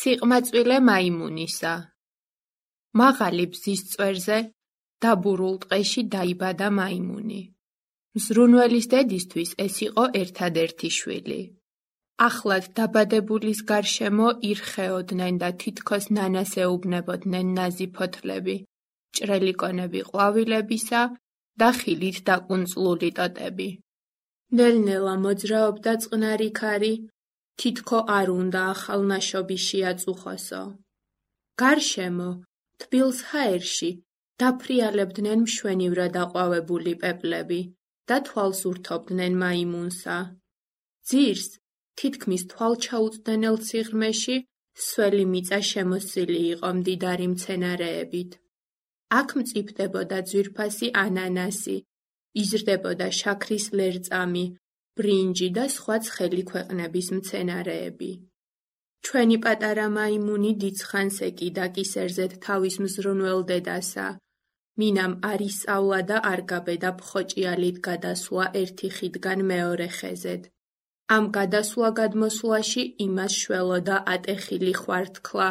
სიყმაწვილე მაიმუნისა. მაღალი ბზის წვერზე, დაბურულ ტყეში დაიბადა მაიმუნი. მზრუნველის დედისთვის ეს იყო ერთადერთი შვილი. ახლად დაბადებულის გარშემო ირხეოდნენ და თითქოს ნანას ეუბნებოდნენ ნაზი ფოთლები, ჭრელი კონები ყვავილებისა და ხილით დაკუნწლული ტოტები. ნელ-ნელა მოძრაობდა წყნარი ქარი, თითქო არ უნდა ახალნაშობი შეაწუხოსო. გარშემო, თბილ ჰაერში, დაფრიალებდნენ მშვენივრად აყვავებული პეპლები და თვალს ურთობდნენ მაიმუნსა. ძირს, თითქმის თვალჩაუწვდენელ სიღრმეში, სველი მიწა შემოსილი იყო მდიდარი მცენარეებით. აქ მწიფდებოდა ძვირფასი ანანასი, იზრდებოდა შაქრის ლერწამი, ბრინჯი და სხვა ცხელი ქვეყნების მცენარეები. ჩვენი პატარა მაიმუნი დიდხანს ეკიდა კისერზედ თავის მზრუნველ დედასა. მინამ არ ისწავლა და არ გაბედა ფხოჭიალით გადასვლა ერთი ხიდგან მეორე ხეზედ. ამ გადასვლა-გადმოსვლაში იმას შველოდა ატეხილი ხვართქლა,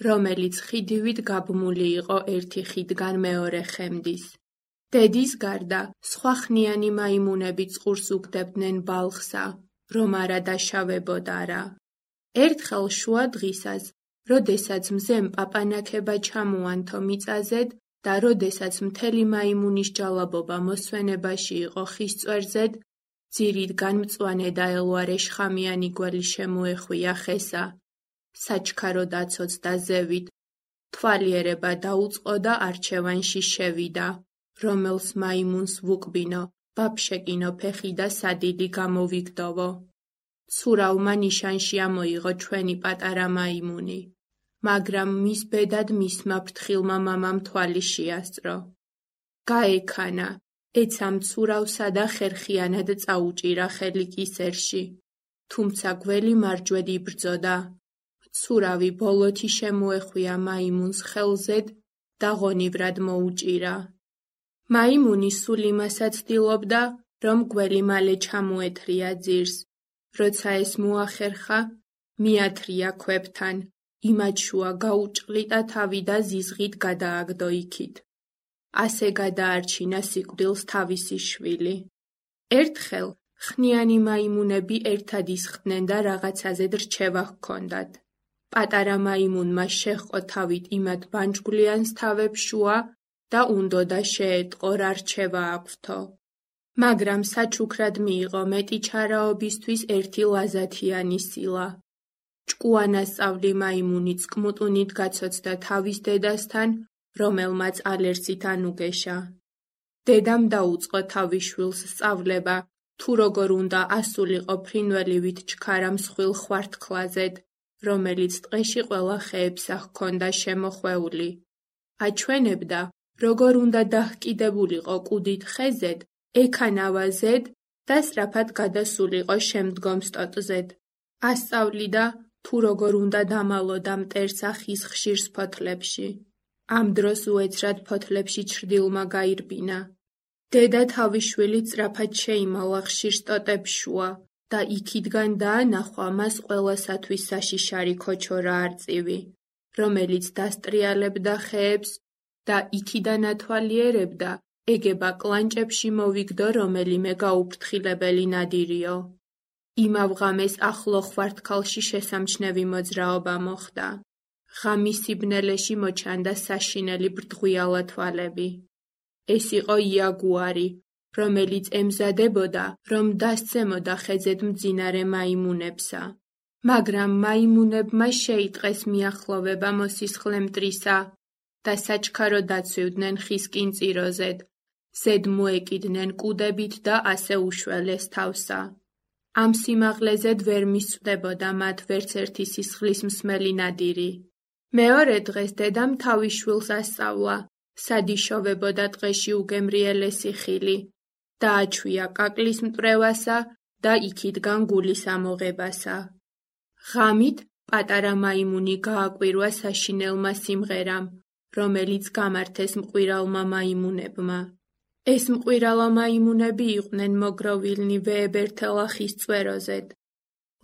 რომელიც ხიდივით გაბმული იყო ერთი ხიდგან მეორე ხემდის. დედის გარდა, სხვა ხნიანი მაიმუნები წყურს უგდებდნენ ბალხსა, რომ არა დაშავებოდარა. ერთხელ შუა დღისას, როდესაც მზემ პაპანაქება ჩამოანთო მიწაზედ და როდესაც მთელი მაიმუნის ჯალაბობა მოსვენებაში იყო ხის წვერზედ, ძირიდან მწვანე და ელვარე შხამიანი გველი შემოეხვია ხესა. საჩქარო დაცოცდა ზევით, თვალიერება დაუწყო და არჩევანში შევიდა, რომელს მაიმუნს ვუკბინო, ვაფშეკინო ფეხი და სადილი გამოვიგდოვო. ცურავმა ნიშანში ამოიღო ჩვენი პატარა მაიმუნი, მაგრამ მის ბედად მისმა ფრთხილმა მამამ თვალი შეასწრო. გაექანა, ეცა მცურავსა და ხერხიანად წაუჭირა ხელი კისერში, თუმცა გველი მარჯვედ იბრძოდა. მცურავი ბოლოთი შემოეხვია მაიმუნს ხელზედ და ღონივრად მოუჭირა. მაიმუნი სულ იმასაც ცდილობდა, რომ გველი მალე ჩამოეთრია ძირს. როცა ეს მოახერხა, მიათრია ქვებთან, იმად შუა გაუჭყლიტა თავი და ზიზღით გადააგდო იქით. ასე გადაარჩინა სიკვდილს თავისი შვილი. ერთხელ ხნიანი მაიმუნები ერთად ისხდნენ და რაღაცაზე რჩევა ჰქონდათ. პატარა მაიმუნმა შეჰყო თავით იმად ბანჯგვლიანს თავებს შუა და უნდოდა შეეტყო რა რჩევა აქვთო. მაგრამ საჩუქრად მიიღო მეტი ჩარაობისთვის ერთი ლაზათიანი სილა. ჭკუანასწავლი მაიმუნი წყმუტუნით გაცოცდა თავის დედასთან, რომელმაც ალერსით ანუგეშა. დედამ დაუწყო თავის შვილს სწავლება, თუ როგორ უნდა ასულიყო ფრინველივით ჩქარა მსხვილ ხვართქლაზედ, რომელიც ტყეში ყველა ხეებსა ჰქონდა შემოხვეული. აჩვენებდა, როგორ უნდა დაჰკიდებულიყო კუდით ხეზედ, ექანავაზედ და სწრაფად გადასულიყო შემდგომ სტოტზედ. ასწავლიდა, თუ როგორ უნდა დამალოდა მტერსა ხის ხშირ ფოთლებში. ამ დროს უეცრად ფოთლებში ჩრდილმა გაირბინა. დედა თავის შვილი სწრაფად შეიმალა ხშირ სტოტებს შუა და იქიდან დაანახვა მას ყველასათვის საშიშარი ქოჩორა არწივი, რომელიც დასტრიალებდა ხეებს და იქიდან ათვალიერებდა, ეგება კლანჭებში მოვიგდო რომელიმე გაუფრთხილებელი ნადირიო. იმავ ღამეს ახლო ხვართქალში შესამჩნევი მოძრაობა მოხდა. ღამის სიბნელეში მოჩანდა საშინელი ბრდღვიალა თვალები. ეს იყო იაგუარი, რომელიც ემზადებოდა, რომ დასცემოდა ხეზედ მძინარე მაიმუნებსა. მაგრამ მაიმუნებმა შეიტყეს მიახლოვება მოსისხლე მტრისა და საჩქარო დაცვივდნენ ხის კინწიროზედ, ზედ მოეკიდნენ კუდებით და ასე უშველეს თავსა. ამ სიმაღლეზედ ვერ მისწვდებოდა მათ ვერც ერთი სისხლის მსმელი ნადირი. მეორე დღეს დედამ თავის შვილს ასწავლა, სად იშოვებოდა ტყეში უგემრიელესი ხილი, დააჩვია კაკლის მტვრევასა და იქიდან გულის ამოღებასა. ღამით პატარა მაიმუნი გააკვირვა საშინელმა სიმღერამ, რომელიც გამართეს მყვირალმა მაიმუნებმა. ეს მყვირალა მაიმუნები იყვნენ მოგროვილნი ვეებერთელა ხის წვეროზედ.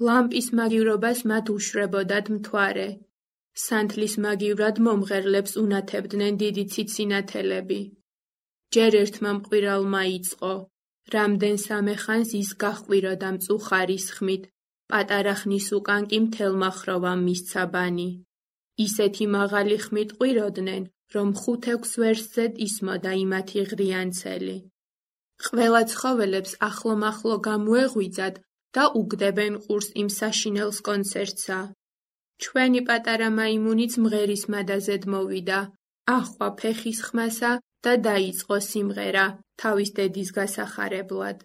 ლამპის მაგივრობას მათ უშვრებოდათ მთვარე, სანთლის მაგივრად მომღერლებს უნათებდნენ დიდი ციცინათელები. ჯერ ერთმა მყვირალმა იწყო, რამდენ-სამე ხანს ის გაჰყვიროდა მწუხარის ხმით, პატარა ხნის უკან კი მთელმა ხროვამ მისცა ბანი. ისეთი მაღალი ხმით ყვიროდნენ, რომ 5-6 ვერსზედ ისმოდა იმათი ღრიანცელი. ყველა ცხოველებს ახლო-მახლო გამოეღვიძათ და უგდებენ ყურს იმ საშინელს კონცერტსა. ჩვენი პატარა მაიმუნიც მღერის მადაზედ მოვიდა, ახვა ფეხის ხმასა და დაიწყო სიმღერა თავის დედის გასახარებლად.